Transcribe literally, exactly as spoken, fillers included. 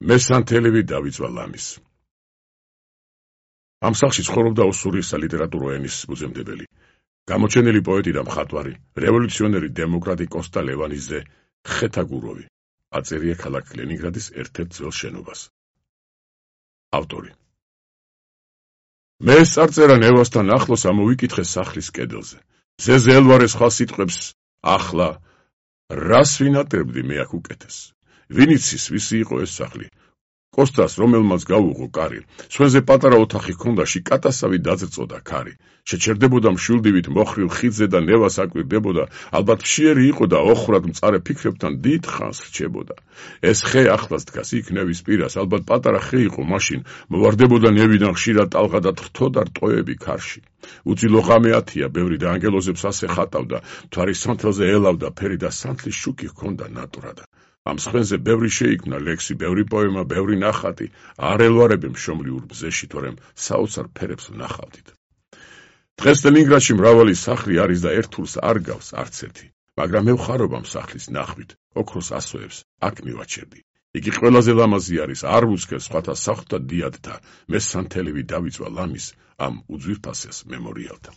მესანთელივი დავიწვა ლამის. ამ სახლში ცხოვრობდა ოსურისა ლიტერატურო ენის ფუძემდებელი, გამოჩენილი პოეტი და მხატვარი, რევოლუციონერი დემოკრატი კოსტა ლევანიძე ხეთაგუროვი, აწერია ქალაქ ლენინგრადის ერთ-ერთ ძველ შენობას. ავტორი. მე წარწერა ნევასთან ახლოს ამოვიკითხე სახლის კედელზე. მზეზე ელვარე სხვა სიტყვებს ახლა რას ვინატრებდი მე აქ უკეთეს. ვინ იცის ვისი იყო ეს სახლი? კოსტას რომელმაც გაუღო კარი, სხვენზე პატარა ოთახი ჰქონდა, შიკატასავი დაძრწოდა ქარი. შეჩერდებოდა მშვილდივით მოხრილ ხიდზე და ნევას აკვირდებოდა, ალბათ მშიერი იყო და ოხრად მწარე ფიქრებთან დიდ ხანს რჩებოდა. ეს ხე ახლას დგას იქ ნევის პირას, ალბათ პატარა ხე იყო მაშინ, მოვარდებოდა ნევიდან ხშირად ტალღა და თრთოდა რტოები ქარში. უძილო ღამე ათია, ბევრი და ანგელოზებს ასე ხატავდა, მთვარის სანთელზე ელავდა ფერი და სანთლის შუქი ჰქონდა ნატვრადა. ამ სხვენზე ბევრი შეიქმნა ლექსი, ბევრი პოემა, ბევრი ნახატი, არ ელვარები მშობლიურ ბზეში, თორემ საოცარ ფერებს ვნახავდით. დღეს ლენინგრადში მრავალი სახლი არის და ერთულს არ გავს არც ერთი, მაგრამ მე ვხარობ ამ სახლის ნახვით, ოქროს ასოებს აქ მივაჩერდი. იგი ყველაზე ლამაზი არის, არ ვუცქებს სხვათა სახლთა დიადთა, მესანთელივი დავიწვა ლამის ამ უძვირფასეს მემორიალთან.